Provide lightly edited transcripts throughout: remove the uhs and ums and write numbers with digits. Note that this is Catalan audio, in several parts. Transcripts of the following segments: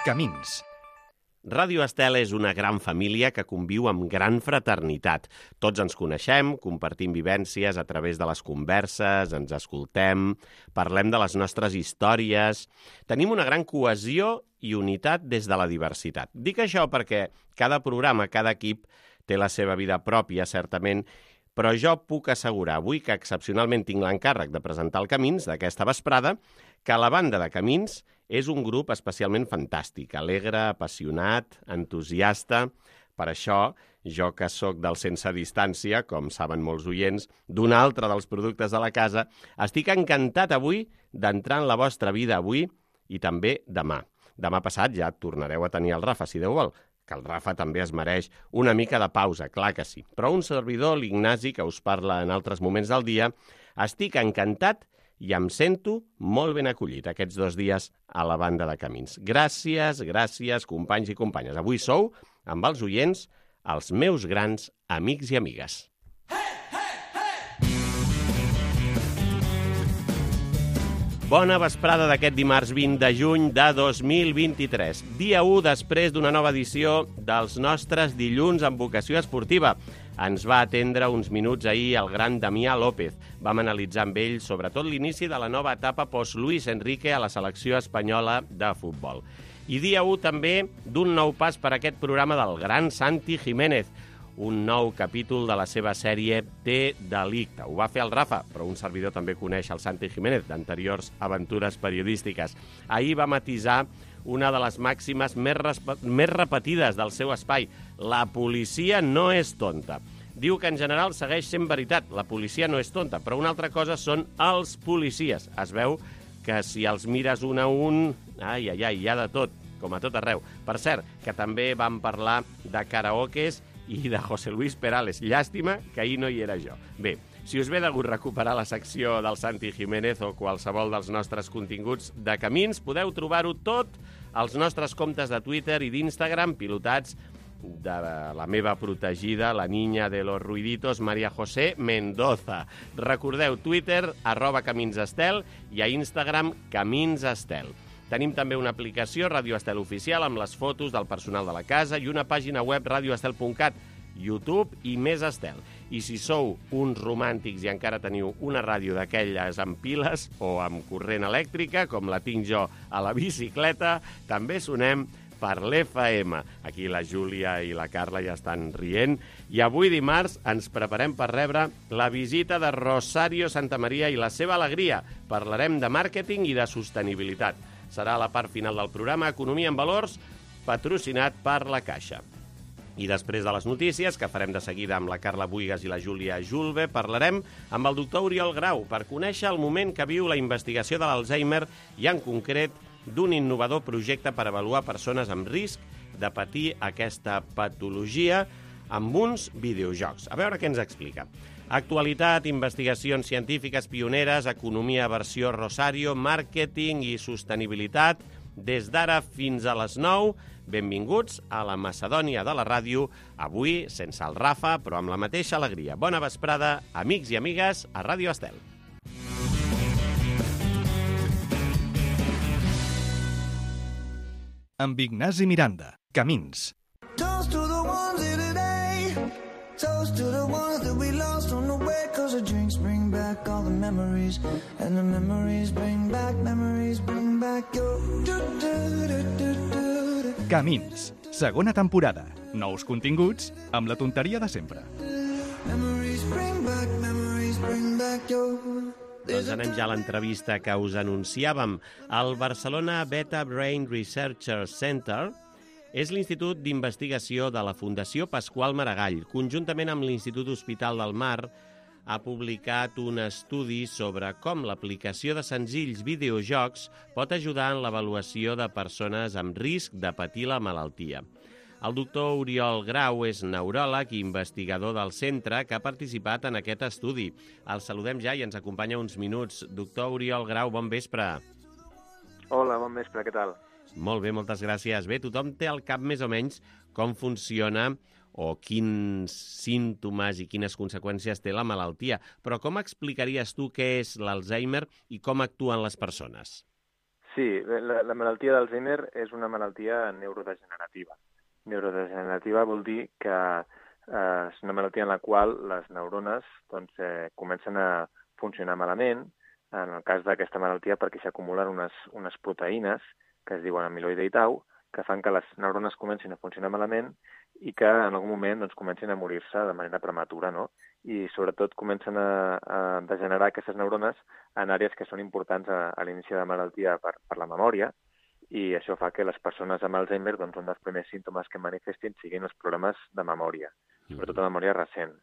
Camins. Ràdio Estel és una gran família que conviu amb gran fraternitat. Tots ens coneixem, compartim vivències a través de les converses, ens escoltem, parlem de les nostres històries. Tenim una gran cohesió i unitat des de la diversitat. Dic això perquè cada programa, cada equip té la seva vida pròpia, certament, però jo puc assegurar avui que excepcionalment tinc l'encàrrec de presentar el Camins d'aquesta vesprada, que la banda de Camins és un grup especialment fantàstic, alegre, apassionat, entusiasta. Per això, jo que sóc del Sense Distància, com saben molts oients, d'un altre dels productes de la casa, estic encantat avui d'entrar en la vostra vida avui i també demà. Demà passat ja tornareu a tenir el Rafa, si Déu vol, que el Rafa també es mereix una mica de pausa, clar que sí. Però un servidor, l'Ignasi, que us parla en altres moments del dia, estic encantat i em sento molt ben acollit aquests 2 dies a la banda de Camins. Gràcies, gràcies, companys i companyes. Avui sou, amb els oients, els meus grans amics i amigues. Bona vesprada d'aquest dimarts 20 de juny de 2023. Dia 1 després d'una nova edició dels nostres dilluns amb vocació esportiva. Ens va atendre uns minuts ahir el gran Damià López. Vam analitzar amb ell sobretot l'inici de la nova etapa post-Luis Enrique a la selecció espanyola de futbol. I dia 1 també d'un nou pas per aquest programa del gran Santi Jiménez, un nou capítol de la seva sèrie Té delicte. Ho va fer el Rafa, però un servidor també coneix el Santi Jiménez d'anteriors aventures periodístiques. Ahir va matisar una de les màximes més repetides del seu espai. La policia no és tonta. Diu que en general segueix sent veritat. La policia no és tonta, però una altra cosa són els policies. Es veu que si els mires un a un, ai, hi ha de tot, com a tot arreu. Per cert, que també vam parlar de karaokes i de José Luis Perales. Llàstima que ahir no hi era jo. Bé, si us ve de gust recuperar la secció del Santi Jiménez o qualsevol dels nostres continguts de Camins, podeu trobar-ho tot als nostres comptes de Twitter i d'Instagram, pilotats de la meva protegida, la niña de los ruiditos, María José Mendoza. Recordeu, Twitter, @CaminsEstel, i a Instagram, CaminsEstel. Tenim també una aplicació, Ràdio Estel Oficial, amb les fotos del personal de la casa i una pàgina web, radioestel.cat, YouTube i Més Estel. I si sou uns romàntics i encara teniu una ràdio d'aquelles amb piles o amb corrent elèctrica, com la tinc jo a la bicicleta, també sonem per l'FM. Aquí la Júlia i la Carla ja estan rient. I avui dimarts ens preparem per rebre la visita de Rosario Santamaría i la seva alegria. Parlarem de màrqueting i de sostenibilitat. Serà la part final del programa Economia en Valors, patrocinat per la Caixa. I després de les notícies, que farem de seguida amb la Carla Buigas i la Júlia Julve, parlarem amb el doctor Oriol Grau per conèixer el moment que viu la investigació de l'Alzheimer i, en concret, d'un innovador projecte per avaluar persones amb risc de patir aquesta patologia amb uns videojocs. A veure què ens explica. Actualitat, investigacions científiques pioneres, economia versió Rosario, màrqueting i sostenibilitat. Des d'ara fins a les 9, benvinguts a la Macedònia de la ràdio, avui sense el Rafa, però amb la mateixa alegria. Bona vesprada, amics i amigues, a Ràdio Estel. Amb Ignasi Miranda. Camins. Toast to the ones here today. Toast to the ones that we lost on the way. Cause the drinks bring back all the memories. And the memories bring back your... Camins. Segona temporada. Nous continguts amb la tonteria de sempre. Memories bring back your... Doncs anem ja a l'entrevista que us anunciàvem. El Barcelona Beta Brain Research Center és l'institut d'investigació de la Fundació Pasqual Maragall. Conjuntament amb l'Institut Hospital del Mar, ha publicat un estudi sobre com l'aplicació de senzills videojocs pot ajudar en l'avaluació de persones amb risc de patir la malaltia. El doctor Oriol Grau és neuròleg i investigador del centre que ha participat en aquest estudi. El saludem ja i ens acompanya uns minuts. Doctor Oriol Grau, bon vespre. Hola, bon vespre, què tal? Molt bé, moltes gràcies. Bé, tothom té al cap més o menys com funciona o quins símptomes i quines conseqüències té la malaltia. Però com explicaries tu què és l'Alzheimer i com actuen les persones? Sí, la malaltia d'Alzheimer és una malaltia neurodegenerativa. Neurodegenerativa vol dir que és una malaltia en la qual les neurones doncs, comencen a funcionar malament, en el cas d'aquesta malaltia perquè s'acumulen unes proteïnes que es diuen amiloide i tau, que fan que les neurones comencin a funcionar malament i que en algun moment doncs, comencin a morir-se de manera prematura, no? I sobretot comencen a degenerar aquestes neurones en àrees que són importants a l'inici de la malaltia per la memòria, i això fa que les persones amb Alzheimer, doncs, un dels primers símptomes que manifestin siguin els problemes de memòria, sobretot de memòria recent.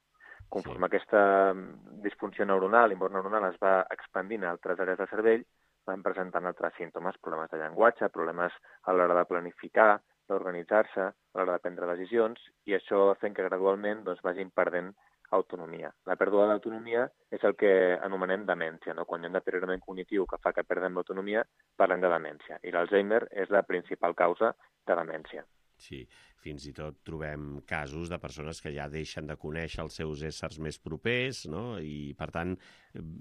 Conforme aquesta disfunció neuronal, l'import neuronal, es va expandint a altres àrees del cervell, van presentant altres símptomes, problemes de llenguatge, problemes a l'hora de planificar, d'organitzar-se, a l'hora de prendre decisions, i això fent que gradualment doncs, vagin perdent autonomia. La pèrdua d'autonomia és el que anomenem demència, no? Quan hi ha un deteriorament cognitiu que fa que perdem l'autonomia, parlem de demència. I l'Alzheimer és la principal causa de demència. Sí, fins i tot trobem casos de persones que ja deixen de conèixer els seus éssers més propers, no? I, per tant,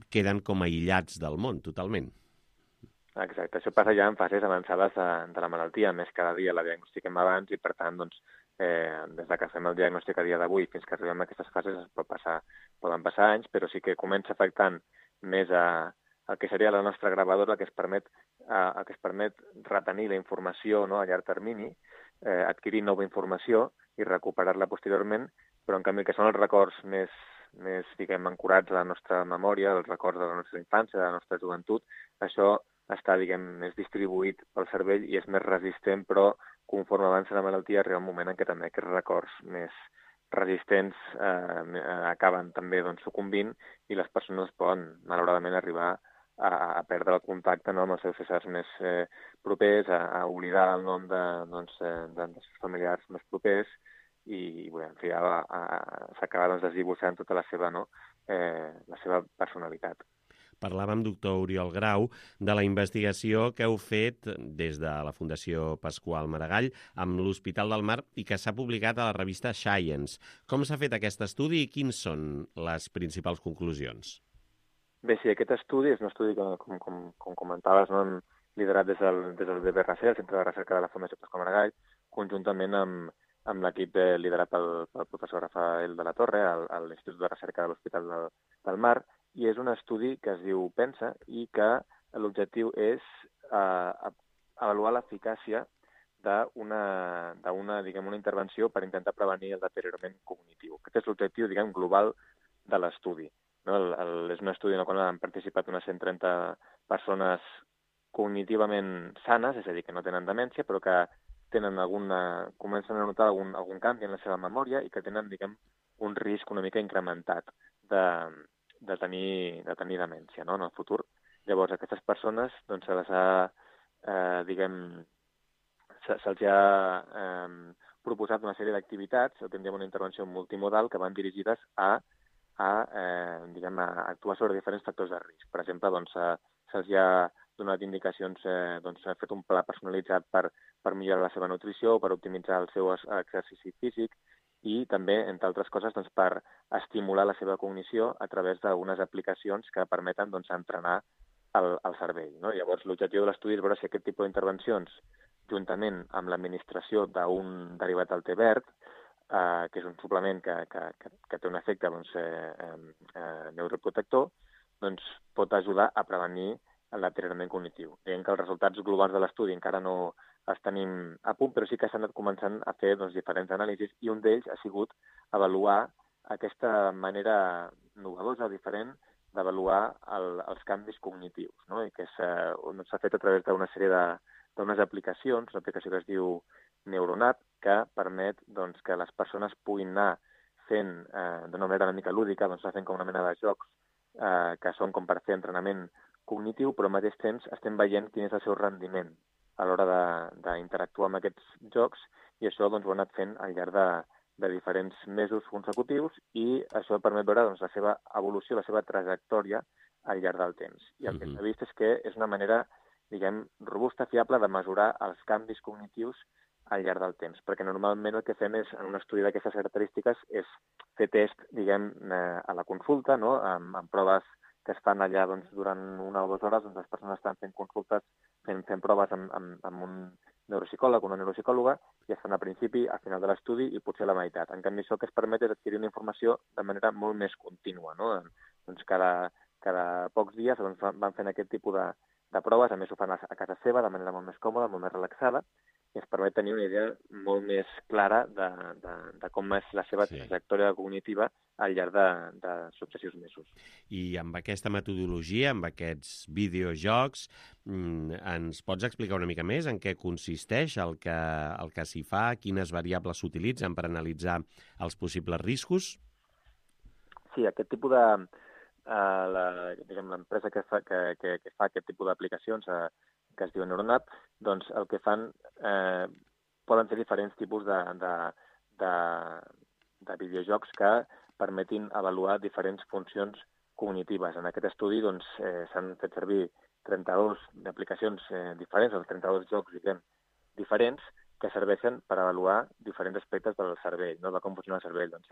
queden com aïllats del món, totalment. Exacte, això passa ja en fases avançades de la malaltia, més cada dia la diagnostiquem abans i, per tant, doncs, des que fem el diagnòstic a dia d'avui fins que arribem a aquestes fases poden passar anys, però sí que comença afectant més el que seria la nostra gravadora, el que es permet retenir la informació, no, a llarg termini, adquirir nova informació i recuperar-la posteriorment, però en canvi que són els records més diguem, ancorats a la nostra memòria, els records de la nostra infància, de la nostra joventut, això està, diguem, més distribuït pel cervell i és més resistent, però conforme avança la malaltia arriba un moment en què també aquests records més resistents acaben també doncs, sucumbint i les persones poden, malauradament, arribar a perdre el contacte, no, amb els seus éssers més propers, a oblidar el nom dels seus familiars més propers i bé, en fi, s'acaba doncs, desdibuixant tota la seva personalitat. Parlàvem, doctor Oriol Grau, de la investigació que heu fet des de la Fundació Pasqual Maragall amb l'Hospital del Mar i que s'ha publicat a la revista Science. Com s'ha fet aquest estudi i quins són les principals conclusions? Bé, sí, aquest estudi és un estudi que, com comentaves, no, liderat des del BBRC, el Centre de Recerca de la Fundació Pasqual Maragall, conjuntament amb l'equip liderat pel professor Rafael de la Torre, a l'Institut de Recerca de l'Hospital del Mar, i és un estudi que es diu PENSA i que l'objectiu és avaluar l'eficàcia d'una intervenció per intentar prevenir el deteriorament cognitiu. Aquest és l'objectiu, diguem, global de l'estudi. No? És un estudi en el qual han participat unes 130 persones cognitivament sanes, és a dir, que no tenen demència, però que comencen a notar algun canvi en la seva memòria i que tenen, diguem, un risc una mica incrementat de tenir demència, no?, en el futur. Llavors, aquestes persones doncs, se'ls ha proposat una sèrie d'activitats, tindríem una intervenció multimodal que van dirigides a actuar sobre diferents factors de risc. Per exemple, doncs, se'ls ha donat indicacions, s'ha fet un pla personalitzat per millorar la seva nutrició, per optimitzar el seu exercici físic, i també, entre altres coses, doncs, per estimular la seva cognició a través d'unes aplicacions que permeten doncs, entrenar el cervell. No? Llavors, l'objectiu de l'estudi és veure si aquest tipus d'intervencions, juntament amb l'administració d'un derivat del té verd, que és un suplement que té un efecte doncs, neuroprotector, doncs, pot ajudar a prevenir el deteriorament cognitiu. Diguem que els resultats globals de l'estudi encara no els tenim a punt, però sí que s'han anat començant a fer doncs, diferents anàlisis i un d'ells ha sigut avaluar aquesta manera novedosa, diferent, d'avaluar els canvis cognitius, no? I que s'ha fet a través d'una sèrie d'unes aplicacions, una aplicació que es diu Neuronat, que permet doncs, que les persones puguin anar fent, d'una manera una mica lúdica, doncs, fent com una mena de jocs que són com per fer entrenament cognitiu, però al mateix temps estem veient quin és el seu rendiment a l'hora d'interactuar amb aquests jocs i això doncs, ho ha anat fent al llarg de diferents mesos consecutius i això permet veure doncs, la seva evolució, la seva trajectòria al llarg del temps. I el que s'ha vist és que és una manera, diguem, robusta, fiable de mesurar els canvis cognitius al llarg del temps, perquè normalment el que fem és, en un estudi d'aquestes característiques, és fer test, diguem, a la consulta, no? amb proves que es fan allà doncs, durant 1 o 2 hores, doncs les persones estan fent consultes fent proves amb un neuropsicòleg, una neuropsicòloga, i es fan a principi, a final de l'estudi i potser a la meitat. En canvi, això que es permet és adquirir una informació de manera molt més contínua, no? Doncs cada pocs dies van fent aquest tipus de proves, a més ho fan a casa seva de manera molt més còmoda, molt més relaxada, i ens permet tenir una idea molt més clara de com és la seva trajectòria cognitiva al llarg de successius mesos. I amb aquesta metodologia, amb aquests videojocs, ens pots explicar una mica més en què consisteix el que s'hi fa, quines variables s'utilitzen per analitzar els possibles riscos? Sí, aquest tipus de... l'empresa que fa aquest tipus d'aplicacions que es diu Neuronap, doncs el que fan poden ser diferents tipus de videojocs que permetin avaluar diferents funcions cognitives. En aquest estudi doncs, s'han fet servir 32 aplicacions diferents, o 32 jocs diferents, que serveixen per avaluar diferents aspectes del cervell, no? De com funciona el cervell, doncs,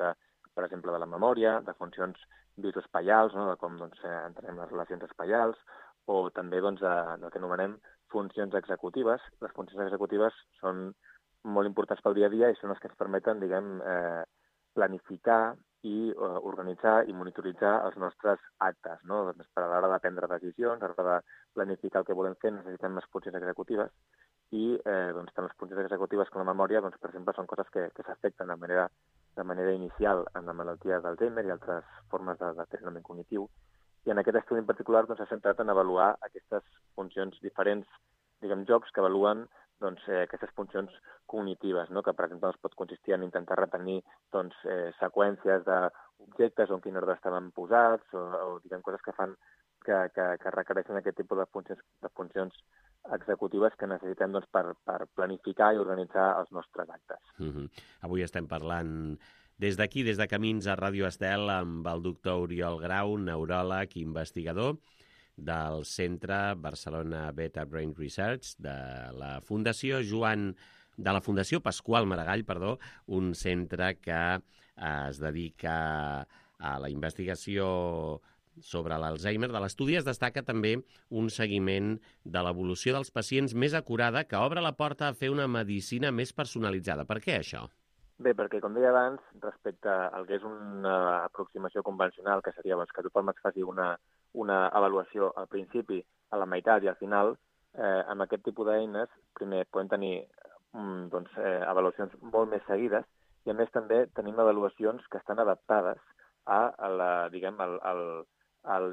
per exemple, de la memòria, de funcions bioespaials, no? De com entenem les relacions espaials, o també del que anomenem funcions executives. Les funcions executives són molt importants pel dia a dia i són les que ens permeten, planificar i organitzar i monitoritzar els nostres actes, no? Doncs per a l'hora de prendre decisions, a l'hora de planificar el que volem fer, necessitem les funcions executives i tant les funcions executives com la memòria, doncs, per exemple, són coses que s'afecten de manera inicial en la malaltia d'Alzheimer i altres formes de deteriorament cognitiu. I en aquest estudi en particular s'ha centrat en avaluar aquestes funcions diferents, jocs que avaluen aquestes funcions cognitives, no? Que, per exemple, pot consistir en intentar retenir seqüències d'objectes on quin ordre estaven posats o coses que requereixen aquest tipus de funcions executives que necessitem per planificar i organitzar els nostres actes. Avui estem parlant des d'aquí, des de Camins a Ràdio Estel, amb el doctor Oriol Grau, neuròleg i investigador del Centre Barcelona Beta Brain Research de la Fundació Pasqual Maragall, un centre que es dedica a la investigació sobre l'Alzheimer. De l'estudi es destaca també un seguiment de l'evolució dels pacients més acurada que obre la porta a fer una medicina més personalitzada. Per què això? Bé, perquè, com deia abans, respecte al que és una aproximació convencional, que seria que tothom es faci una avaluació al principi, a la meitat i al final, amb aquest tipus d'eines, primer, podem tenir avaluacions molt més seguides i, a més, també tenim avaluacions que estan adaptades al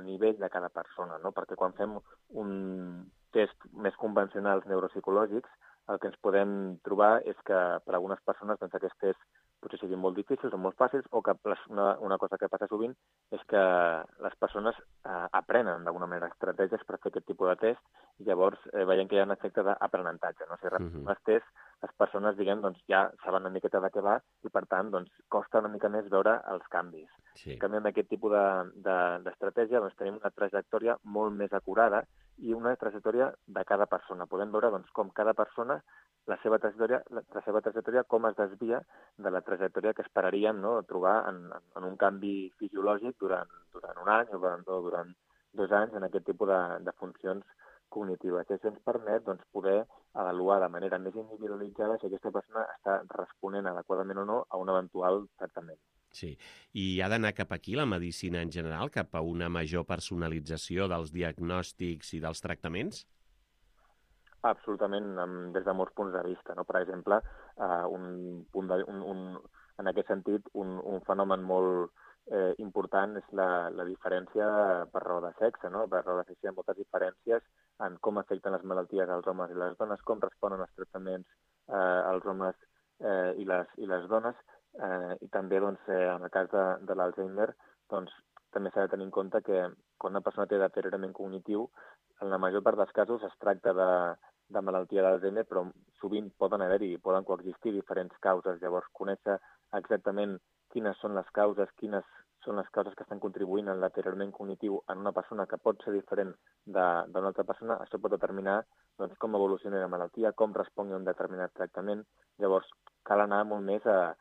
nivell de cada persona, no? Perquè quan fem un test més convencionals neuropsicològics, el que ens podem trobar és que per a algunes persones aquests tests potser siguin molt difícils o molt fàcils, o que una cosa que passa sovint és que les persones aprenen d'alguna manera estratègies per fer aquest tipus de test i llavors veiem que hi ha un efecte d'aprenentatge, no? Si repetint els tests, les persones ja saben una miqueta de què va i per tant costa una mica més veure els canvis. Sí. En canvi, amb aquest tipus d'estratègia tenim una trajectòria molt més acurada i una trajectòria de cada persona. Podem veure com cada persona, la seva trajectòria com es desvia de la trajectòria que esperaríem, no, trobar en un canvi fisiològic durant un any o durant 2 anys en aquest tipus de funcions cognitives. I això ens permet poder avaluar de manera més individualitzada si aquesta persona està responent adequadament o no a un eventual tractament. Sí, i ha d'anar cap aquí la medicina en general, cap a una major personalització dels diagnòstics i dels tractaments? Absolutament, des de molts punts de vista, no? Per exemple, en aquest sentit, un fenomen molt important és la diferència per raó de sexe, no? Per raó de sexe hi ha moltes diferències en com afecten les malalties als homes i les dones, com responen els tractaments als homes i les dones, i també en el cas de l'Alzheimer també s'ha de tenir en compte que quan una persona té deteriorament cognitiu, en la major part dels casos es tracta de malaltia d'Alzheimer, però sovint poden coexistir diferents causes. Llavors, conèixer exactament quines són les causes que estan contribuint al deteriorament cognitiu en una persona que pot ser diferent d'una altra persona, això pot determinar com evoluciona la malaltia, com respongui a un determinat tractament. Llavors, cal anar molt més a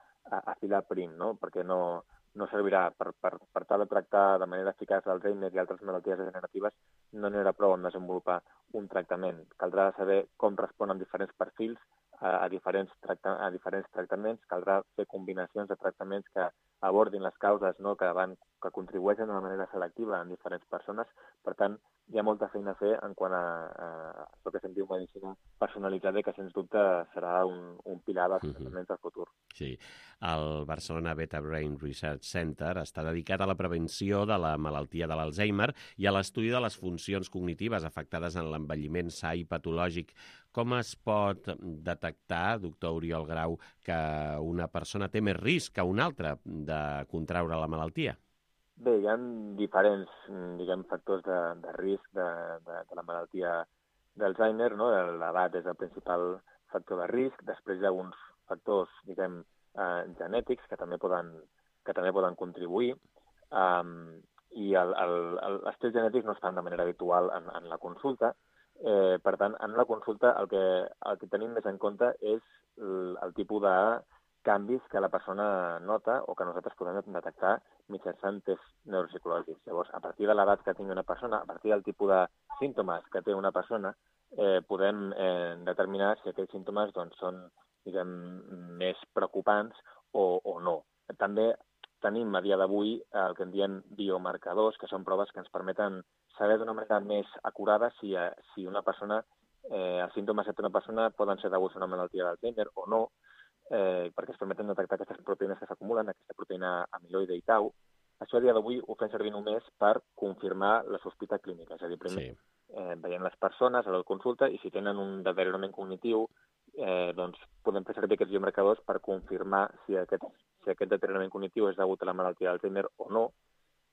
filar prim, no? Perquè no no servirà per tal de tractar de manera eficaç l'Alzheimer i altres malalties degeneratives, no n'hi haurà prou en desenvolupar un tractament. Caldrà saber com responen diferents perfils a diferents tractaments, caldrà fer combinacions de tractaments que abordin les causes, no, que contribueixen de manera selectiva en diferents persones. Per tant, hi ha molta feina a fer en quant a el que se'n diu medicina personalitzada i que, sens dubte, serà un pilar dels tractaments del futur. Sí. El Barcelona Beta Brain Research Center està dedicat a la prevenció de la malaltia de l'Alzheimer i a l'estudi de les funcions cognitives afectades en l'envelliment sa i patològic. Com es pot detectar, doctor Oriol Grau, que una persona té més risc que una altra de contraure la malaltia? Bé, hi ha diferents, factors de risc de la malaltia d'Alzheimer, no? L'edat és el principal factor de risc. Després hi ha alguns factors, genètics que també poden contribuir. I els tests genètics no es fan de manera habitual en la consulta. Per tant, en la consulta el que tenim més en compte és el tipus de canvis que la persona nota o que nosaltres podem detectar mitjançant tests neuropsicològics. Llavors, a partir de l'edat que tingui una persona, a partir del tipus de símptomes que té una persona, podem determinar si aquells símptomes són més preocupants o no. També tenim a dia d'avui el que en diem biomarcadors, que són proves que ens permeten saber d'una manera més acurada si una persona, els símptomes que té una persona poden ser deguts a una malaltia d'Alzheimer o no, perquè es permeten detectar aquestes proteïnes que s'acumulen, aquesta proteïna amiloide i tau. Això a dia d'avui ho fem servir només per confirmar la sospita clínica, és a dir, primer veient les persones a la consulta i si tenen un deteriorament cognitiu, podem fer servir aquests biomarcadors per confirmar si aquest deteriorament cognitiu és degut a la malaltia d'Alzheimer o no.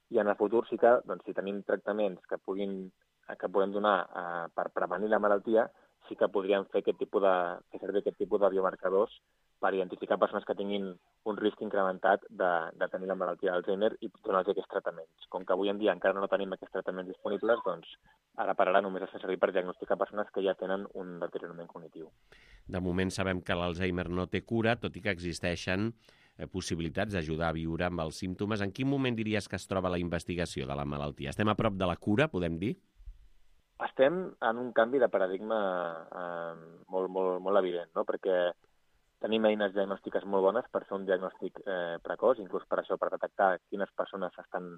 I en el futur sí que, si tenim tractaments que podem donar per prevenir la malaltia, sí que podríem fer servir aquest tipus de biomarcadors per identificar persones que tinguin un risc incrementat de tenir la malaltia d'Alzheimer i donar-los aquests tractaments. Com que avui en dia encara no tenim aquests tractaments disponibles, ara per ara només es fa servir per diagnosticar persones que ja tenen un deteriorament cognitiu. De moment sabem que l'Alzheimer no té cura, tot i que existeixen possibilitats d'ajudar a viure amb els símptomes. En quin moment diries que es troba la investigació de la malaltia? Estem a prop de la cura, podem dir? Estem en un canvi de paradigma molt evident, no? Perquè tenim eines diagnòstiques molt bones per fer un diagnòstic precoç, inclús per això, per detectar quines persones estan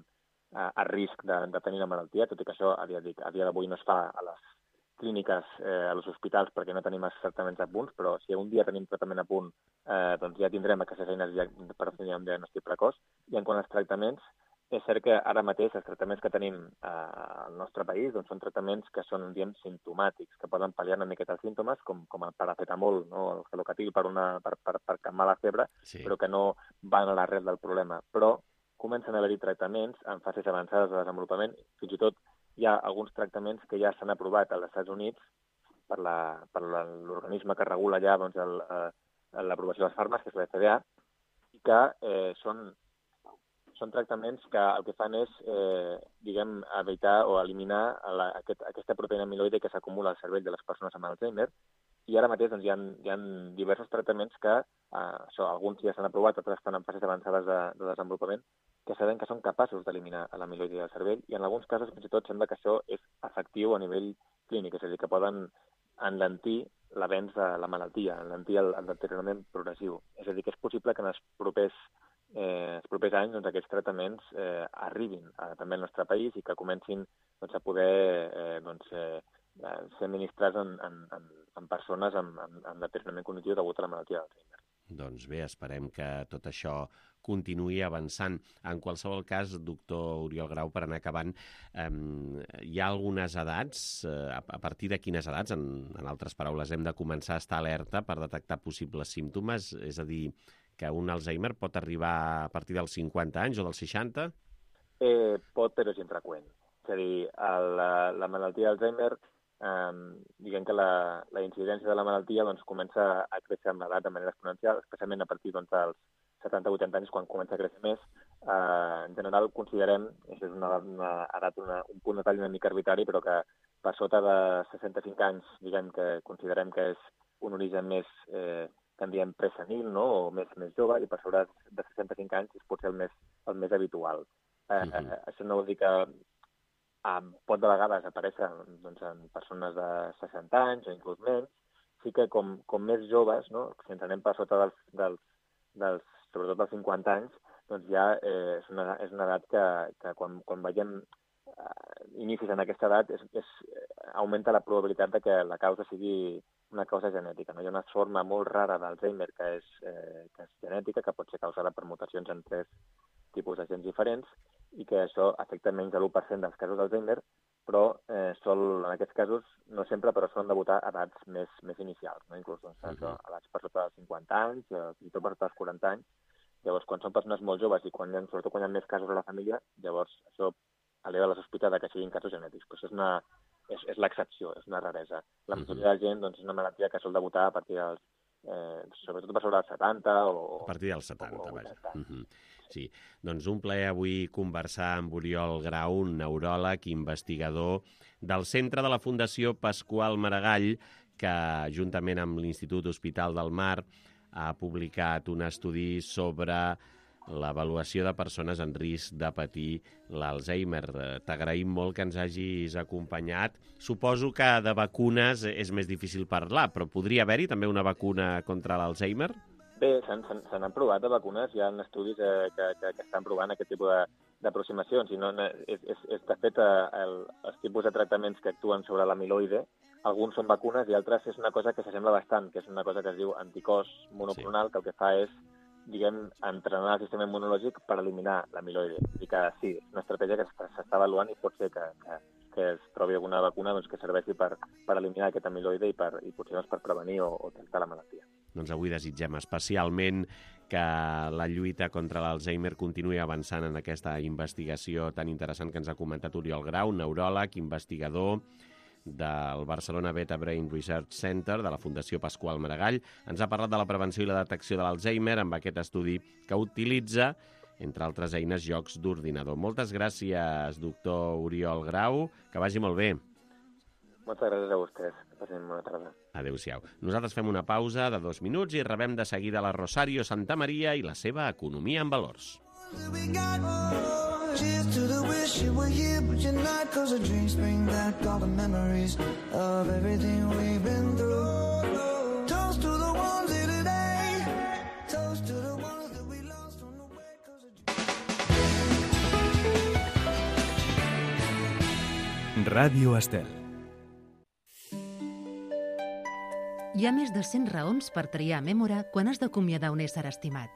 a risc de tenir la malaltia, tot i que això a dia d'avui no es fa a les clíniques, a els hospitals, perquè no tenim els tractaments a punt, però si un dia tenim tractament a punt, ja tindrem aquestes eines per fer un diagnòstic precoç. I en quant als tractaments, és cert que ara mateix els tractaments que tenim al nostre país són tractaments que són, simptomàtics, que poden pal·liar una miqueta els símptomes, com el paracetamol, no? El Gelocatil per calmar la febre, però que no van a l'arrel del problema. Però comencen a haver-hi tractaments en fases avançades de desenvolupament. Fins i tot hi ha alguns tractaments que ja s'han aprovat als Estats Units per l'organisme que regula ja l'aprovació dels fàrmacs, que és la FDA, i que són tractaments que el que fan és, evitar o eliminar aquesta proteïna amiloide que s'acumula al cervell de les persones amb Alzheimer. I ara mateix hi ha diversos tractaments que, alguns ja s'han aprovat, altres estan en fases avançades de desenvolupament, que sabem que són capaços d'eliminar l'amiloide del cervell i en alguns casos fins i tot sembla que això és efectiu a nivell clínic, és a dir, que poden enlentir l'avenç de la malaltia, enlentir el deteriorament progressiu. És a dir, que és possible que en els propers anys aquests tractaments arribin també al nostre país i que comencin a poder ser administrats en persones amb deteriorament cognitiu degut a la malaltia d'Alzheimer. Doncs bé, esperem que tot això continuï avançant. En qualsevol cas, doctor Oriol Grau, per anar acabant, hi ha algunes edats, a partir de quines edats, en altres paraules, hem de començar a estar alerta per detectar possibles símptomes? És a dir, que un Alzheimer pot arribar a partir dels 50 anys o dels 60? Pot, però és infreqüent. És a dir, la malaltia d'Alzheimer, diguem que la incidència de la malaltia comença a créixer amb l'edat de manera exponencial, especialment a partir dels 70-80 anys, quan comença a créixer més. En general, considerem, és una edat, un punt de tall una mica arbitrari, però que per sota de 65 anys, diguem que considerem que és un origen més que en diem presenil, no? O més jove, i per sobre de 65 anys és potser el més habitual. Això no vol dir que pot de vegades aparèixer doncs, en persones de 60 anys o inclús menys. Sí que com més joves, no? Si ens anem per sota sobretot dels 50 anys, doncs ja és una edat que quan veiem inicis en aquesta edat augmenta la probabilitat de que la causa sigui una causa genètica. No? Hi ha una forma molt rara d'Alzheimer que és genètica, que pot ser causada per mutacions en 3 tipus de gens diferents i que això afecta menys de l'1% dels casos d'Alzheimer, però en aquests casos, no sempre, però solen debutar a edats més inicials, no? Inclús doncs, edats per sota dels 50 anys, fins i tot per sota dels 40 anys. Llavors, quan són persones molt joves i sobretot quan hi ha més casos a la família, llavors això eleva la sospita de que siguin casos genètics. Però això és l'excepció, és una raresa. La majoria de la gent doncs, és una malaltia que sol debutar a partir dels sobretot per sobre dels 70 o... A partir dels 70, vaja. Sí, doncs un plaer avui conversar amb Oriol Grau, un neuròleg i investigador del Centre de la Fundació Pasqual Maragall, que juntament amb l'Institut Hospital del Mar ha publicat un estudi sobre l'avaluació de persones en risc de patir l'Alzheimer. T'agraïm molt que ens hagis acompanyat. Suposo que de vacunes és més difícil parlar, però podria haver-hi també una vacuna contra l'Alzheimer? Bé, se n'han provat de vacunes, hi ha estudis que estan provant aquest tipus d'aproximacions. De fet, els tipus de tractaments que actuen sobre l'amiloide, alguns són vacunes i altres és una cosa que s'assembla bastant, que és una cosa que es diu anticòs monoclonal, que el que fa és entrenar el sistema immunològic per eliminar l'amiloide. És a dir que sí, és una estratègia que s'està avaluant i pot ser que es trobi alguna vacuna que serveixi per eliminar aquest amiloide i potser per prevenir o tractar la malaltia. Doncs avui desitgem especialment que la lluita contra l'Alzheimer continuï avançant en aquesta investigació tan interessant que ens ha comentat Oriol Grau, neuròleg, investigador del Barcelona Beta Brain Research Center, de la Fundació Pasqual Maragall. Ens ha parlat de la prevenció i la detecció de l'Alzheimer amb aquest estudi que utilitza, entre altres eines, jocs d'ordinador. Moltes gràcies, doctor Oriol Grau. Que vagi molt bé. Moltes gràcies a vostès. Que passin bona tarda. Adéu-siau. Nosaltres fem una pausa de 2 minuts i rebem de seguida la Rosario Santamaria i la seva economia en valors. Cheers to the wish you were here, but you're not, 'cause the drinks bring back all the memories of everything we've been through. Toast to the ones here today, toast to the ones that we lost on the way, 'cause Ràdio Estel. Hi ha més de 100 raons per triar Mémora quan has d'acomiadar un ésser estimat.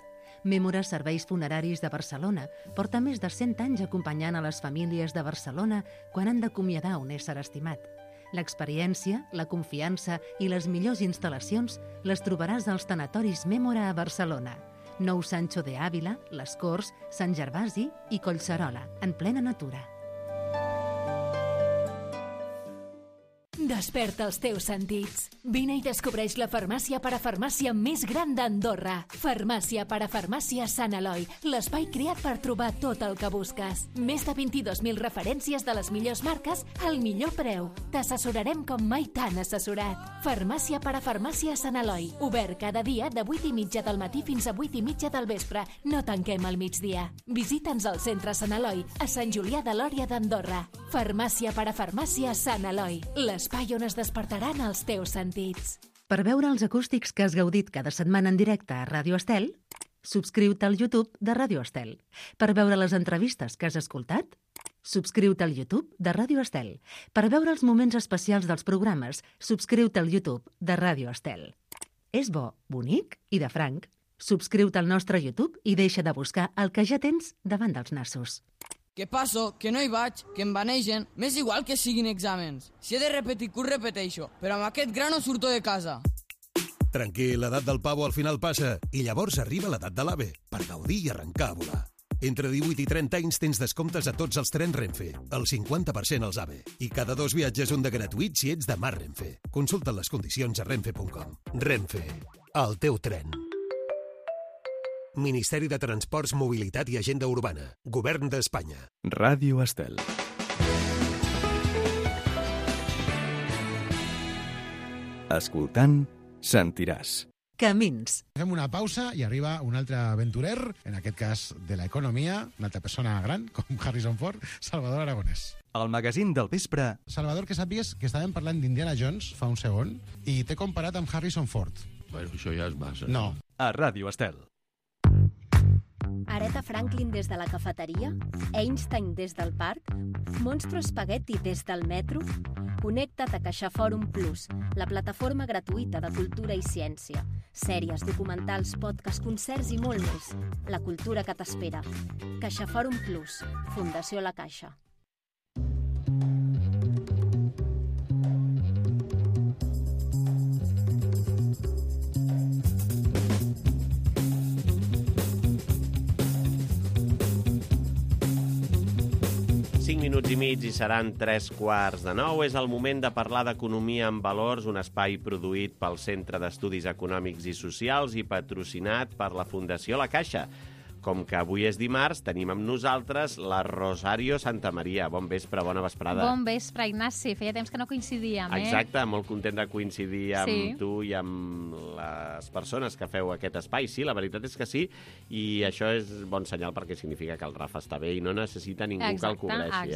Mémora Serveis Funeraris de Barcelona porta més de 100 anys acompanyant a les famílies de Barcelona quan han d'acomiadar un ésser estimat. L'experiència, la confiança i les millors instal·lacions les trobaràs als tanatoris Mémora a Barcelona. Nou Sancho de Ávila, Les Corts, Sant Gervasi i Collserola, en plena natura. Desperta els teus sentits. Vine i descobreix la farmàcia parafarmàcia més gran d'Andorra. Farmàcia parafarmàcia Sant Eloi, l'espai creat per trobar tot el que busques. Més de 22.000 referències de les millors marques al millor preu. T'assessorarem com mai t'han assessorat. Farmàcia parafarmàcia Sant Eloi, obert cada dia de 8:30 del matí fins a 8:30 del vespre. No tanquem al migdia. Visita'ns al centre Sant Eloi, a Sant Julià de Lòria d'Andorra. Farmàcia parafarmàcia Sant Eloi, l'espai on es despertaran els teus sentits. Per veure els acústics que has gaudit cada setmana en directe a Ràdio Estel, subscriu-te al YouTube de Ràdio Estel. Per veure les entrevistes que has escoltat, subscriu-te al YouTube de Ràdio Estel. Per veure els moments especials dels programes, subscriu-te al YouTube de Ràdio Estel. És bo, bonic i de franc. Subscriu-te al nostre YouTube i deixa de buscar el que ja tens davant dels nassos. Que passo, que no hi vaig, que em banegen, m'és igual que siguin exàmens. Si he de repetir curs, repeteixo, però amb aquest gra no surto de casa. Tranquil, l'edat del pavo al final passa i llavors arriba l'edat de l'AVE per gaudir i arrencar a volar. Entre 18 i 30 anys tens descomptes a tots els trens Renfe, el 50% als AVE. I cada 2 viatges un de gratuït si ets de Mar Renfe. Consulta les condicions a renfe.com. Renfe, el teu tren. Ministeri de Transports, Mobilitat i Agenda Urbana. Govern d'Espanya. Ràdio Estel. Escoltant, sentiràs. Camins. Fem una pausa i arriba un altre aventurer, en aquest cas de l'economia, una altra persona gran, com Harrison Ford, Salvador Aragonès. El magazín del vespre. Salvador, que sàpigues que estàvem parlant d'Indiana Jones fa un segon i t'he comparat amb Harrison Ford. Bueno, això ja és massa. No. A Ràdio Estel. Aretha Franklin des de la cafeteria? Einstein des del parc? Monstro Spaghetti des del metro? Connecta't a CaixaForum Plus, la plataforma gratuïta de cultura i ciència. Sèries, documentals, podcasts, concerts i molt més. La cultura que t'espera. CaixaForum Plus, Fundació La Caixa. Minuts i mig i seran 8:45. És el moment de parlar d'economia en valors, un espai produït pel Centre d'Estudis Econòmics i Socials i patrocinat per la Fundació La Caixa. Com que avui és dimarts, tenim amb nosaltres la Rosario Santamaria. Bon vespre, bona vesprada. Bon vespre, Ignasi. Feia temps que no coincidíem, Exacte, molt content de coincidir amb Sí. tu i amb les persones que feu aquest espai. Sí, la veritat és que sí, i això és bon senyal perquè significa que el Rafa està bé i no necessita ningú que el cobreixi.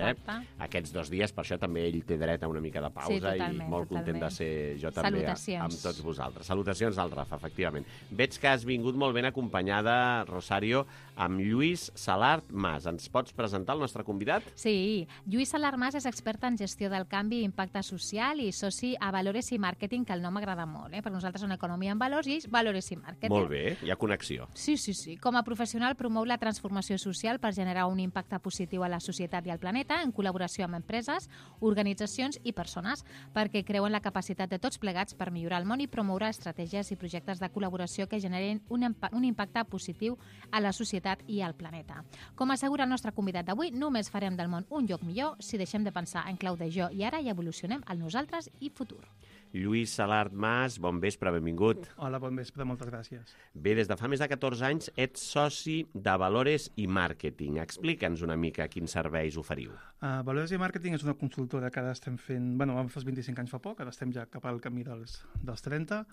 Aquests 2 dies, per això també ell té dret a una mica de pausa i molt content de ser jo també amb tots vosaltres. Salutacions al Rafa, efectivament. Veig que has vingut molt ben acompanyada, Rosario, amb Lluís Salart Mas. Ens pots presentar el nostre convidat? Sí, Lluís Salart Mas és expert en gestió del canvi i impacte social i soci a Valores i Màrqueting, que el nom m'agrada molt, perquè nosaltres són Economia en Valors i ells Valores i Màrqueting. Molt bé, hi ha connexió. Sí. Com a professional promou la transformació social per generar un impacte positiu a la societat i al planeta en col·laboració amb empreses, organitzacions i persones, perquè creu en la capacitat de tots plegats per millorar el món i promoure estratègies i projectes de col·laboració que generin un impacte positiu a la societat i al planeta. Com assegura el nostre convidat d'avui, només farem del món un lloc millor si deixem de pensar en clau de jo i ara i evolucionem al nosaltres i futur. Lluís Salart Mas, bon vespre, benvingut. Hola, bon vespre, moltes gràcies. Bé, des de fa més de 14 anys ets soci de Valores i Màrqueting. Explica'ns una mica quins serveis oferiu. Valores i Màrqueting és una consultora que ara estem fent... Vam fer els 25 anys fa poc, ara estem ja cap al camí dels 30.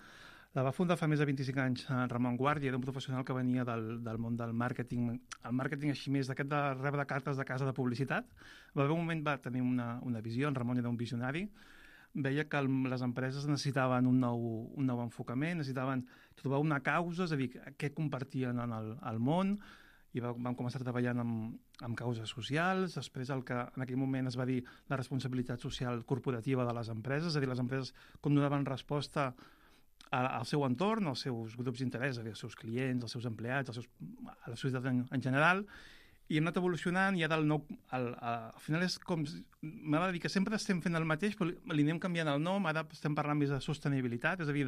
La va fundar fa més de 25 anys Ramon Guàrdia, era un professional que venia del món del màrqueting, el màrqueting així més d'aquest de rebre cartes de casa de publicitat. Va haver un moment, va tenir una visió, en Ramon era un visionari, veia que les empreses necessitaven un nou enfocament, necessitaven trobar una causa, és a dir, què compartien al món, i vam començar treballant amb causes socials. Després el que en aquell moment es va dir la responsabilitat social corporativa de les empreses, és a dir, les empreses com donaven resposta al seu entorn, als seus grups d'interès, als seus clients, als seus empleats, a la societat en general, i hem anat evolucionant i ara al final és com... M'agrada dir que sempre estem fent el mateix, però li anem canviant el nom, ara estem parlant més de sostenibilitat, és a dir,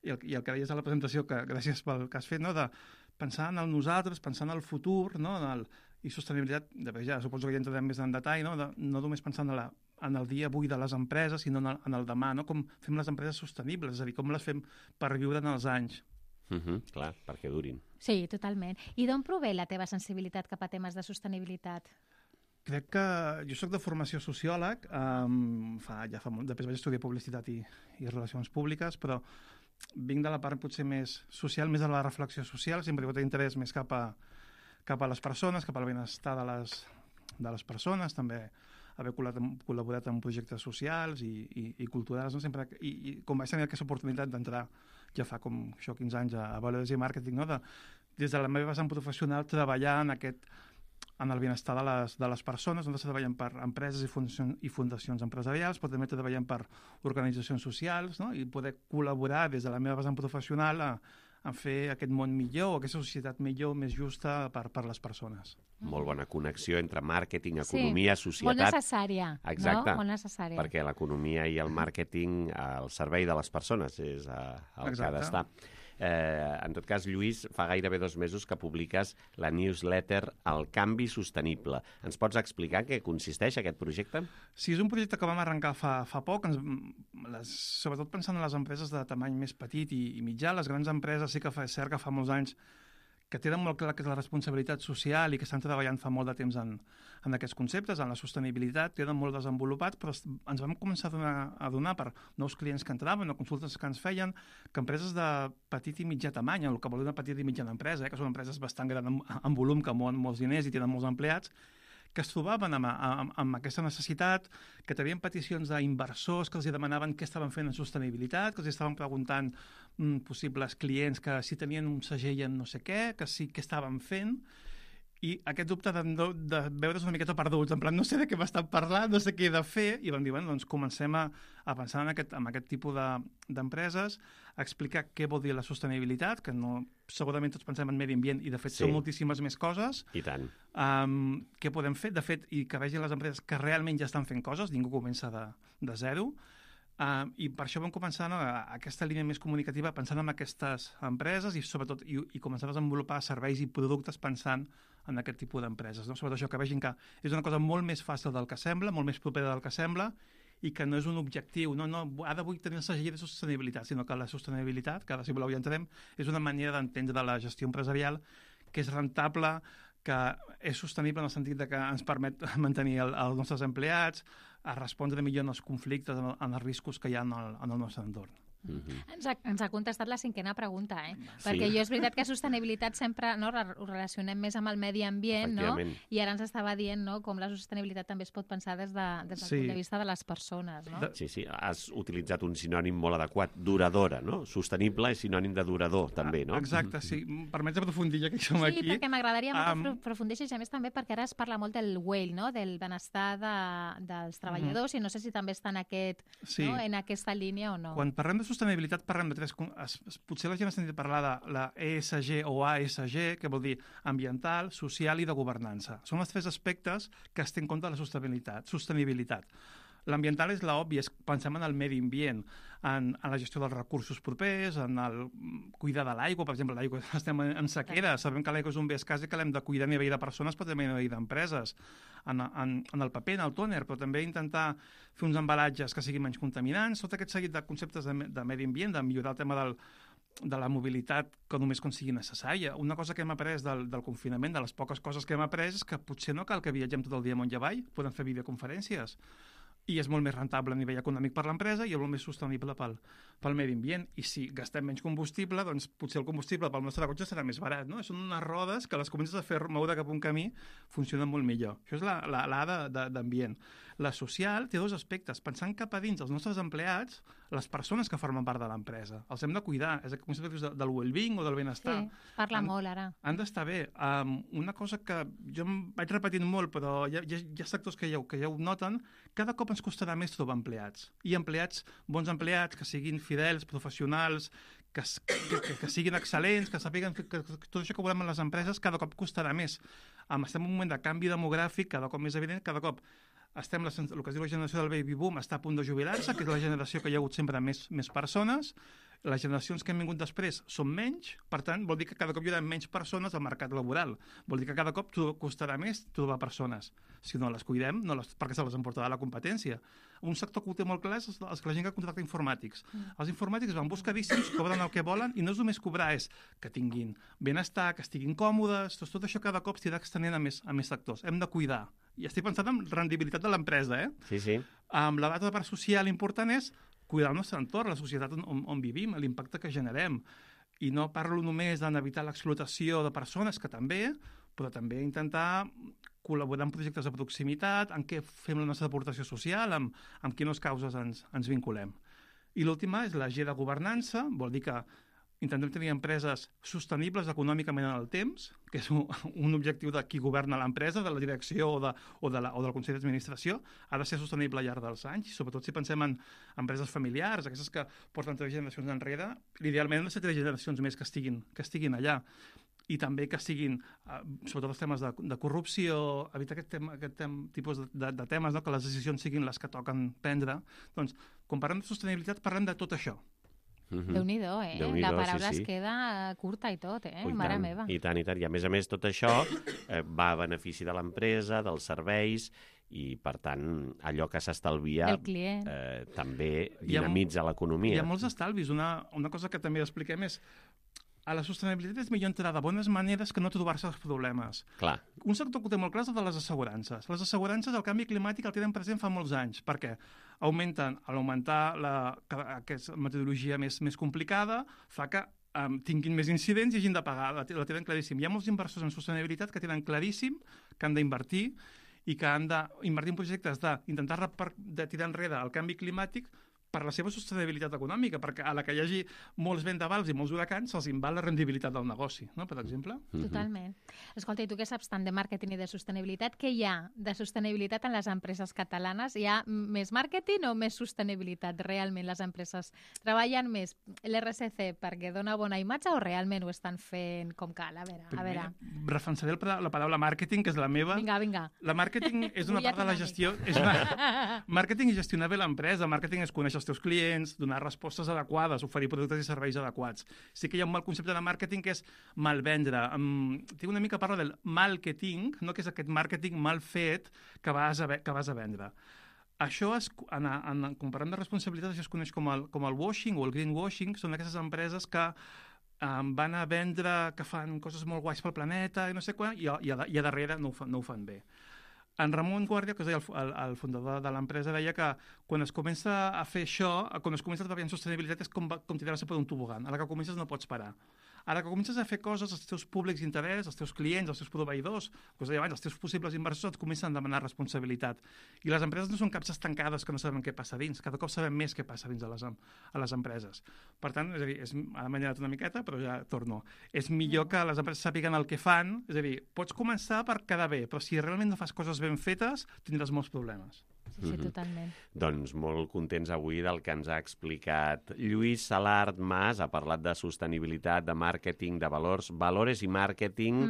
i el que deies a la presentació, que gràcies pel que has fet, no? De pensar en el nosaltres, pensar en el futur, no? I sostenibilitat, ja suposo que ja entrarem més en detall, no només pensant en el dia avui de les empreses, sinó en el demà, no? Com fem les empreses sostenibles, és a dir, com les fem per viure en els anys. Clar, perquè durin. Sí, totalment. I d'on prové la teva sensibilitat cap a temes de sostenibilitat? Crec que jo soc de formació sociòleg, després vaig estudiar publicitat i relacions públiques, però vinc de la part potser més social, més de la reflexió social, sempre he tingut interès més cap a les persones, cap al benestar de les persones, també haver col·laborat en projectes socials i culturals, no? Sempre, i com vaig tenir aquesta oportunitat d'entrar ja fa com 15 anys a Valores i Màrqueting, no? Des de la meva vessant professional treballar en el benestar de les persones. Nosaltres treballem per empreses i fundacions empresarials, però també treballem per organitzacions socials, no? I poder col·laborar des de la meva vessant professional a fer aquest món millor, aquesta societat millor, més justa per les persones. Molt bona connexió entre màrqueting, economia, societat. Molt necessària. Exacte, no? Molt necessària. Perquè l'economia i el màrqueting al servei de les persones és el que ha d'estar. En tot cas, Lluís, fa gairebé 2 mesos que publiques la newsletter El canvi sostenible. Ens pots explicar què consisteix aquest projecte? Sí, és un projecte que vam arrencar fa poc, sobretot pensant en les empreses de tamany més petit i mitjà. Les grans empreses sí que és cert que fa molts anys que tenen molt clar que és la responsabilitat social i que estan treballant fa molt de temps en aquests conceptes, en la sostenibilitat, tenen molt desenvolupats, però ens vam començar a donar per nous clients que entraven o consultes que ens feien, que empreses de petit i mitjà tamany, el que vol dir una petita i mitjana empresa, que són empreses bastant grans en volum, que mouen molts diners i tenen molts empleats, que es trobaven amb aquesta necessitat, que tenien peticions d'inversors que els demanaven què estaven fent en sostenibilitat, que els estaven preguntant possibles clients que si tenien un segell en no sé què, que sí què estaven fent, i aquest dubte de veure's una miqueta perduts, en plan, no sé de què m'estan parlant, no sé què he de fer, i vam dir, bueno, doncs comencem a pensar en aquest tipus d'empreses, a explicar què vol dir la sostenibilitat, que no, segurament tots pensem en medi ambient, i de fet són moltíssimes més coses. I tant. Què podem fer, de fet, i que vegin les empreses que realment ja estan fent coses, ningú comença de zero, i per això vam començar aquesta línia més comunicativa pensant en aquestes empreses i sobretot i començar a desenvolupar serveis i productes pensant en aquest tipus d'empreses. No? Sobretot això, que vegin que és una cosa molt més fàcil del que sembla, molt més propera del que sembla, i que no és un objectiu, no, ara vull tenir el segell de sostenibilitat, sinó que la sostenibilitat, que ara si voleu ja entrarem, és una manera d'entendre la gestió empresarial que és rentable, que és sostenible en el sentit de que ens permet mantenir els nostres empleats, a respondre millor en els conflictes, en els riscos que hi ha en el nostre entorn. Ens ha contestat la 5a pregunta, perquè jo és veritat que sostenibilitat sempre ho relacionem més amb el medi ambient, no? I ara ens estava dient com la sostenibilitat també es pot pensar des del punt de vista de les persones. No? Sí, has utilitzat un sinònim molt adequat, duradora, no? Sostenible és sinònim de durador, també, no? Exacte, sí. Permets aprofundir ja que som aquí. Sí, perquè m'agradaria molt aprofundeixis, a més també perquè ara es parla molt del well, no? Del benestar dels treballadors, i no sé si també està en aquesta línia o no. Quan parlem de sostenibilitat parlem de tres... Potser la gent ha sentit parlar de la ESG o ASG, que vol dir ambiental, social i de governança. Són els tres aspectes que es té en compte de la sostenibilitat. L'ambiental és l'obvi, pensem en el medi ambient, en la gestió dels recursos propers, en el cuidar de l'aigua, per exemple, l'aigua, estem en sequera, sabem que l'aigua és un bé escàs i que l'hem de cuidar a nivell de persones, però també a nivell d'empreses, en el paper, en el tòner, però també intentar fer uns embalatges que siguin menys contaminants, tot aquest seguit de conceptes de medi ambient, de millorar el tema de la mobilitat que només quan sigui necessària. Una cosa que hem après del confinament, de les poques coses que hem après, és que potser no cal que viatgem tot el dia amunt i avall, podem fer videoconferències. I és molt més rentable a nivell econòmic per l'empresa i és molt més sostenible pel medi ambient. I si gastem menys combustible, doncs potser el combustible pel nostre cotxe serà més barat. No? Són unes rodes que les comences a fer moure cap a un camí, funcionen molt millor. Això és l'A d'ambient. La social té dos aspectes. Pensant cap a dins els nostres empleats, les persones que formen part de l'empresa. Els hem de cuidar. És el concepte del well-being o del benestar. Sí, parla molt ara. Han d'estar bé. Una cosa que jo em vaig repetint molt, però hi ha sectors que ja ho noten, cada cop ens costarà més trobar empleats. I bons empleats, que siguin fidels, professionals, que siguin excel·lents, que sàpiguen que tot això que volem en les empreses cada cop costarà més. Estem en un moment de canvi demogràfic, cada cop més evident, cada cop el que es diu la generació del baby boom està a punt de jubilar-se, que és la generació que hi ha hagut sempre més persones. Les generacions que han vingut després són menys, per tant, vol dir que cada cop hi haurà menys persones al mercat laboral. Vol dir que cada cop costarà més trobar persones. Si no les cuidem, perquè se les emportarà la competència. Un sector que ho té molt clar és la gent que contracta informàtics. Els informàtics van buscadíssims, cobren el que volen, i no és només cobrar, és que tinguin benestar, que estiguin còmodes, tot això cada cop s'ha d'extenent a més sectors. Hem de cuidar. I estic pensant en rendibilitat de l'empresa, Sí. La data de part social important és cuidar el nostre entorn, la societat on vivim, l'impacte que generem. I no parlo només d'evitar l'explotació de persones, que també, però també intentar col·laborar en projectes de proximitat, en què fem la nostra aportació social, amb quines causes ens vinculem. I l'última és la G de governança, vol dir que intentem tenir empreses sostenibles econòmicament en el temps, que és un objectiu de qui governa l'empresa, de la direcció o del Consell d'Administració, ha de ser sostenible al llarg dels anys, sobretot si pensem en empreses familiars, aquestes que porten 3 generacions enrere, idealment han de ser 3 generacions més que estiguin allà. I també que siguin, sobretot els temes de corrupció, evitar aquest tipus de temes, no? Que les decisions siguin les que toquen prendre. Doncs, quan parlem de sostenibilitat, parlem de tot això. Déu-n'hi-do, la paraula es queda curta i tot, mare meva. I tant. I a més, tot això va a benefici de l'empresa, dels serveis, i, per tant, allò que s'estalvia també dinamitza l'economia. Hi ha molts estalvis. Una cosa que també expliquem és a la sostenibilitat és millor entrar de bones maneres que no trobar-se els problemes. Clar. Un sector que ho té molt clar és el de les assegurances. Les assegurances, el canvi climàtic el tenen present fa molts anys, perquè augmentar aquesta metodologia més complicada fa que tinguin més incidents i hagin de pagar, la tenen claríssim. Hi ha molts inversors en sostenibilitat que tenen claríssim que han d'invertir i que han d'invertir en projectes d'intentar de tirar enrere el canvi climàtic per la seva sostenibilitat econòmica, perquè a la que hi hagi molts vendavals i molts huracans se'ls en va la rendibilitat del negoci, no? Per exemple. Totalment. Escolta, i tu què saps tant de màrqueting i de sostenibilitat? Què hi ha de sostenibilitat en les empreses catalanes? Hi ha més màrqueting o més sostenibilitat? Realment les empreses treballen més l'RSC perquè dona bona imatge o realment ho estan fent com cal? A veure. Defensaré la paraula màrqueting, que és la meva. Vinga. La màrqueting és una part de la gestió. Màrqueting és gestionar bé l'empresa. Màrqueting és conèixer els teus clients, donar respostes adequades, oferir productes i serveis adequats. Sí que hi ha un mal concepte de màrqueting que és malvendre. Tinc una mica parla del marketing, no? Que és aquest màrqueting mal fet que vas a vendre. Això, comparant de responsabilitat, això es coneix com el washing o el greenwashing. Són aquestes empreses que van a vendre que fan coses molt guais pel planeta i no sé quan, i a darrere no ho fan bé. En Ramon Guàrdia, que és el fundador de l'empresa, deia que quan es comença a fer això, quan es comença a treballar en sostenibilitat és com tirar-se per un tobogan. A la que comences no pots parar. A la que comences a fer coses, els teus públics d'interès, els teus clients, els teus proveïdors, els teus possibles inversors et comencen a demanar responsabilitat. I les empreses no són capses tancades que no sabem què passa dins. Cada cop sabem més què passa dins a les empreses. Per tant, és a dir, ara m'he anat una miqueta, però ja torno. És millor que les empreses sàpiguen el que fan. És a dir, pots començar per quedar bé, però si realment no fas coses ben fetes, tindràs molts problemes. Sí, totalment. Doncs molt contents avui del que ens ha explicat Lluís Salart Mas. Ha parlat de sostenibilitat, de màrqueting, de valores i màrqueting,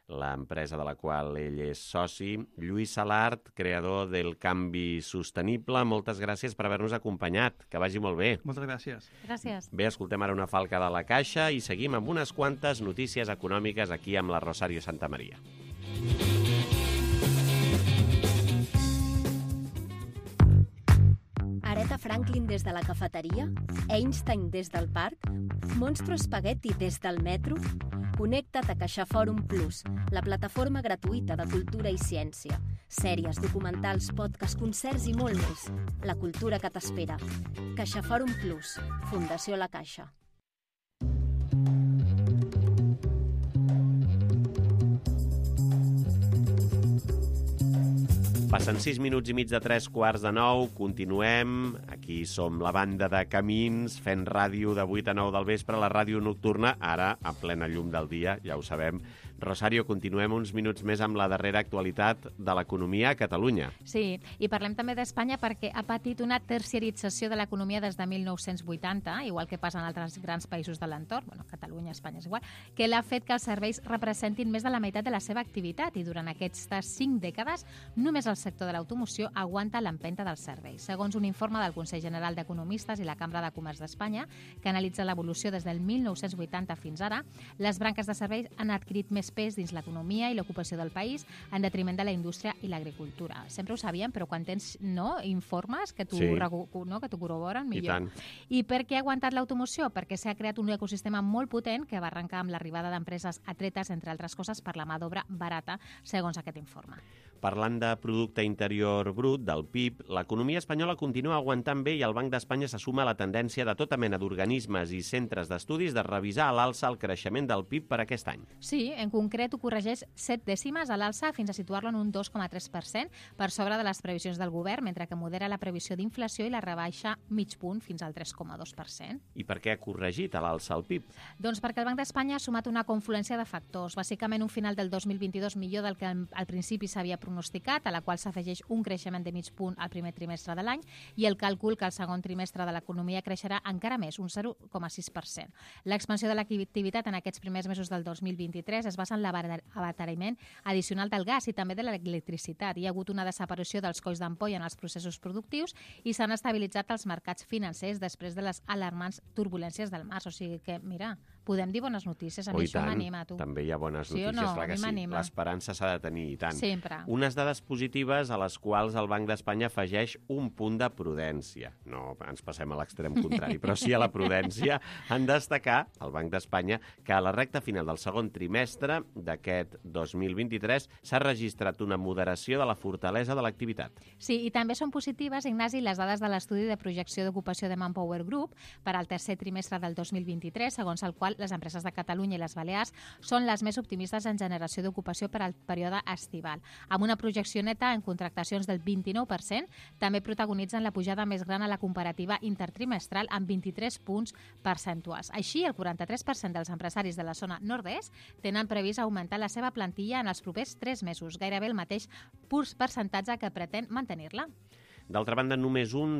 l'empresa de la qual ell és soci. Lluís Salart, creador del Canvi Sostenible, moltes gràcies per haver-nos acompanyat. Que vagi molt bé. Moltes gràcies. Gràcies. Bé, escoltem ara una falca de la caixa i seguim amb unes quantes notícies econòmiques aquí amb la Rosario Santamaría. Aretha Franklin des de la cafeteria? Einstein des del parc? Monstro Spaghetti des del metro? Connecta't a CaixaForum Plus, la plataforma gratuïta de cultura i ciència. Sèries, documentals, podcasts, concerts i molt més. La cultura que t'espera. CaixaForum Plus, Fundació La Caixa. Passen 6 minuts i mig de 3:45, continuem. Aquí som la banda de Camins, fent ràdio de 8 a 9 del vespre, la ràdio nocturna, ara a plena llum del dia, ja ho sabem. Rosario, continuem uns minuts més amb la darrera actualitat de l'economia a Catalunya. Sí, i parlem també d'Espanya perquè ha patit una terciarització de l'economia des de 1980, igual que passa en altres grans països de l'entorn, Catalunya, Espanya és igual, que l'ha fet que els serveis representin més de la meitat de la seva activitat i durant aquestes 5 dècades només el sector de l'automoció aguanta l'empenta dels serveis. Segons un informe del Consell General d'Economistes i la Cambra de Comerç d'Espanya, que analitza l'evolució des del 1980 fins ara, les branques de serveis han adquirit més pes dins l'economia i l'ocupació del país en detriment de la indústria i l'agricultura. Sempre ho sabíem, però quan tens informes que t'ho que t'ho corroboren, millor. I per què ha aguantat l'automoció? Perquè s'ha creat un ecosistema molt potent que va arrencar amb l'arribada d'empreses atretes, entre altres coses, per la mà d'obra barata, segons aquest informe. Parlant de producte interior brut, del PIB, l'economia espanyola continua aguantant bé i el Banc d'Espanya se suma a la tendència de tota mena d'organismes i centres d'estudis de revisar a l'alça el creixement del PIB per aquest any. Sí, en concret ho corregeix 7 dècimes a l'alça fins a situar-lo en un 2,3% per sobre de les previsions del govern, mentre que modera la previsió d'inflació i la rebaixa mig punt fins al 3,2%. I per què ha corregit a l'alça el PIB? Doncs perquè el Banc d'Espanya ha sumat una confluència de factors, bàsicament un final del 2022 millor del que al principi s'havia pronosticat, a la qual s'afegeix un creixement de mig punt al primer trimestre de l'any i el càlcul que el segon trimestre de l'economia creixerà encara més, un 0,6%. L'expansió de l'activitat en aquests primers mesos del 2023 es basa en l'abaratiment addicional del gas i també de l'electricitat. Hi ha hagut una desaparició dels colls d'ampolla en els processos productius i s'han estabilitzat els mercats financers després de les alarmants turbulències del març. O sigui que, mira, podem dir bones notícies. A mi això m'anima, tu. També hi ha bones Sí o notícies, no? clar A que mi sí. m'anima. L'esperança s'ha de tenir, i tant. Sempre. Unes dades positives a les quals el Banc d'Espanya afegeix un punt de prudència. No ens passem a l'extrem contrari, però sí a la prudència. En destacar, el Banc d'Espanya, que a la recta final del segon trimestre d'aquest 2023 s'ha registrat una moderació de la fortalesa de l'activitat. Sí, i també són positives, Ignasi, les dades de l'estudi de projecció d'ocupació de Manpower Group per al tercer trimestre del 2023, segons el qual les empreses de Catalunya i les Balears són les més optimistes en generació d'ocupació per al període estival. Amb una projecció neta en contractacions del 29%, també protagonitzen la pujada més gran a la comparativa intertrimestral amb 23 punts percentuals. Així, el 43% dels empresaris de la zona nord-est tenen previst augmentar la seva plantilla en els propers 3 mesos, gairebé el mateix percentatge que pretén mantenir-la. D'altra banda, només una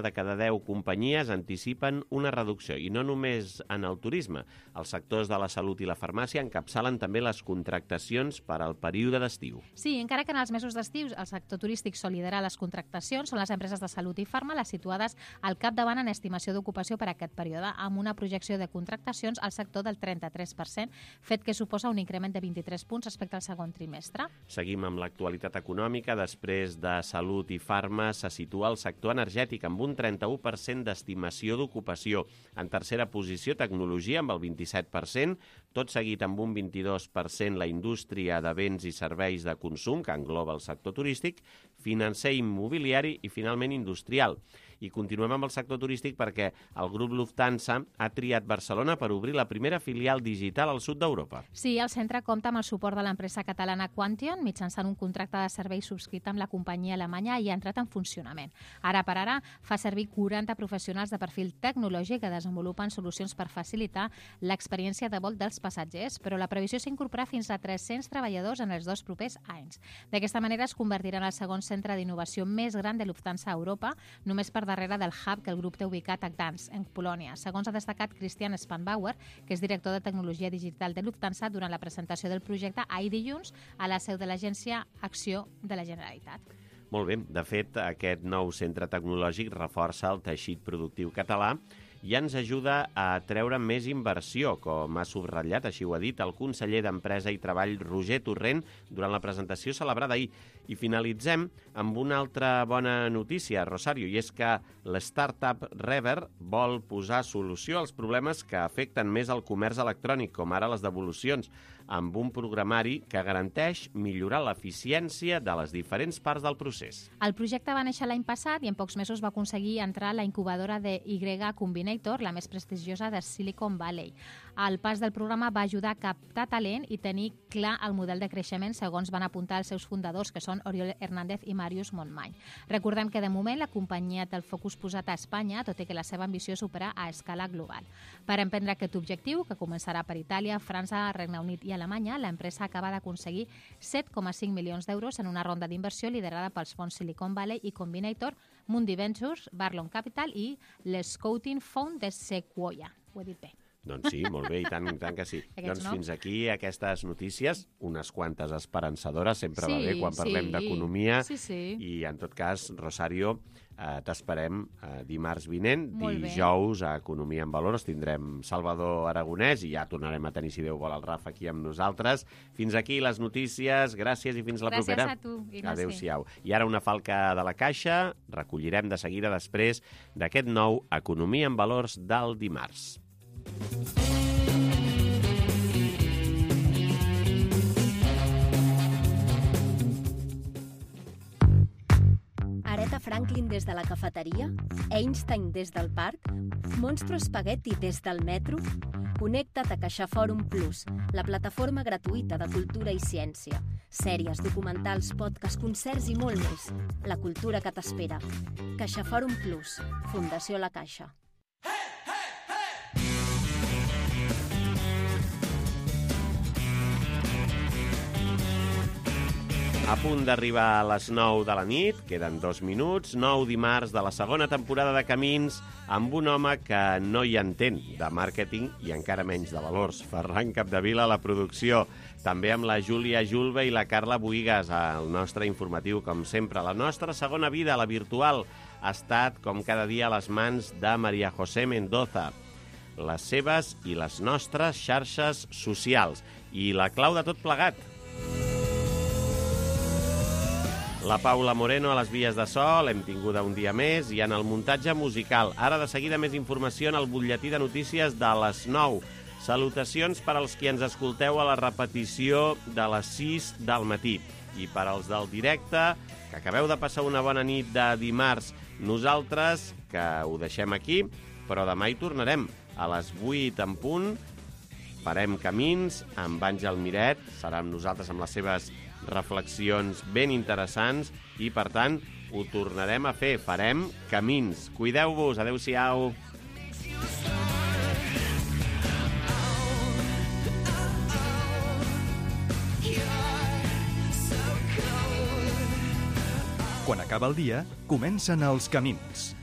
de cada 10 companyies anticipen una reducció, i no només en el turisme. Els sectors de la salut i la farmàcia encapçalen també les contractacions per al període d'estiu. Sí, encara que en els mesos d'estiu el sector turístic sol liderar les contractacions, són les empreses de salut i farma les situades al capdavant en estimació d'ocupació per a aquest període, amb una projecció de contractacions al sector del 33%, fet que suposa un increment de 23 punts respecte al segon trimestre. Seguim amb l'actualitat econòmica. Després de salut i farma, se situa el sector energètic amb un 31% d'estimació d'ocupació. En tercera posició, tecnologia amb el 27%, tot seguit amb un 22% la indústria de béns i serveis de consum, que engloba el sector turístic, financer i immobiliari i, finalment, industrial. I continuem amb el sector turístic perquè el grup Lufthansa ha triat Barcelona per obrir la primera filial digital al sud d'Europa. Sí, el centre compta amb el suport de l'empresa catalana Quantion mitjançant un contracte de servei subscrit amb la companyia alemanya i ha entrat en funcionament. Ara per ara fa servir 40 professionals de perfil tecnològic que desenvolupen solucions per facilitar l'experiència de vol dels passatgers, però la previsió és incorporar fins a 300 treballadors en els 2 propers anys. D'aquesta manera es convertirà en el segon centre d'innovació més gran de Lufthansa a Europa, només per darrere del hub que el grup té ubicat a Gdansk, en Polònia, segons ha destacat Christian Spanbauer, que és director de tecnologia digital de Lufthansa, durant la presentació del projecte ahir dilluns a la seu de l'agència Acció de la Generalitat. Molt bé. De fet, aquest nou centre tecnològic reforça el teixit productiu català i ens ajuda a treure més inversió, com ha subratllat, així ho ha dit, el conseller d'Empresa i Treball, Roger Torrent, durant la presentació celebrada ahir. I finalitzem amb una altra bona notícia, Rosario, i és que l'startup Rever vol posar solució als problemes que afecten més el comerç electrònic, com ara les devolucions, amb un programari que garanteix millorar l'eficiència de les diferents parts del procés. El projecte va néixer l'any passat i en pocs mesos va aconseguir entrar a la incubadora de Y Combinator, la més prestigiosa de Silicon Valley. El pas del programa va ajudar a captar talent i tenir clar el model de creixement, segons van apuntar els seus fundadors, que són Oriol Hernández i Màrius Montmany. Recordem que de moment la companyia té el focus posat a Espanya, tot i que la seva ambició és superar a escala global. Per emprendre aquest objectiu, que començarà per Itàlia, França, Regne Unit i Alemanya, l'empresa acaba d'aconseguir 7,5 milions d'euros en una ronda d'inversió liderada pels fons Silicon Valley i Combinator, Mundi Ventures, Barlow Capital i l'Scouting Fund de Sequoia. Ho he dit bé. Doncs sí, molt bé, i tant que sí. Doncs fins aquí aquestes notícies, unes quantes esperançadores, sempre va bé quan parlem d'economia. I en tot cas, Rosario, t'esperem dimarts vinent, dijous a Economia en Valors, tindrem Salvador Aragonès i ja tornarem a tenir, si Déu vol, el Rafa aquí amb nosaltres. Fins aquí les notícies, gràcies i fins la propera. Gràcies a tu, Ignasi. Adéu-siau. I ara una falca de la caixa, recollirem de seguida després d'aquest nou Economia en Valors del dimarts. Aretha Franklin des de la cafeteria, Einstein des del parc, Monstro Spaghetti des del metro. Connecta't a CaixaForum Plus, la plataforma gratuïta de cultura i ciència. Sèries, documentals, podcasts, concerts i molt més. La cultura que t'espera. CaixaForum Plus, Fundació La Caixa. A punt d'arribar a les 9 de la nit, queden 2 minuts, 9 dimarts de la segona temporada de Camins, amb un home que no hi entén de màrqueting i encara menys de valors. Ferran Capdevila a la producció, també amb la Júlia Julve i la Carla Buigas al nostre informatiu, com sempre. La nostra segona vida, la virtual, ha estat, com cada dia, a les mans de Maria José Mendoza. les seves i les nostres xarxes socials. I la clau de tot plegat. La Paula Moreno a les vies de so, l'hem tinguda un dia més, i en el muntatge musical. Ara de seguida més informació en el butlletí de notícies de les 9. Salutacions per als qui ens escolteu a la repetició de les 6 del matí. I per als del directe, que acabeu de passar una bona nit de dimarts, nosaltres, que ho deixem aquí, però demà hi tornarem a les 8 en punt. Farem camins amb Àngel Miret, serà amb nosaltres amb les seves reflexions ben interessants i, per tant, ho tornarem a fer. Farem camins. Cuideu-vos. Adéu-siau. Quan acaba el dia, comencen els camins.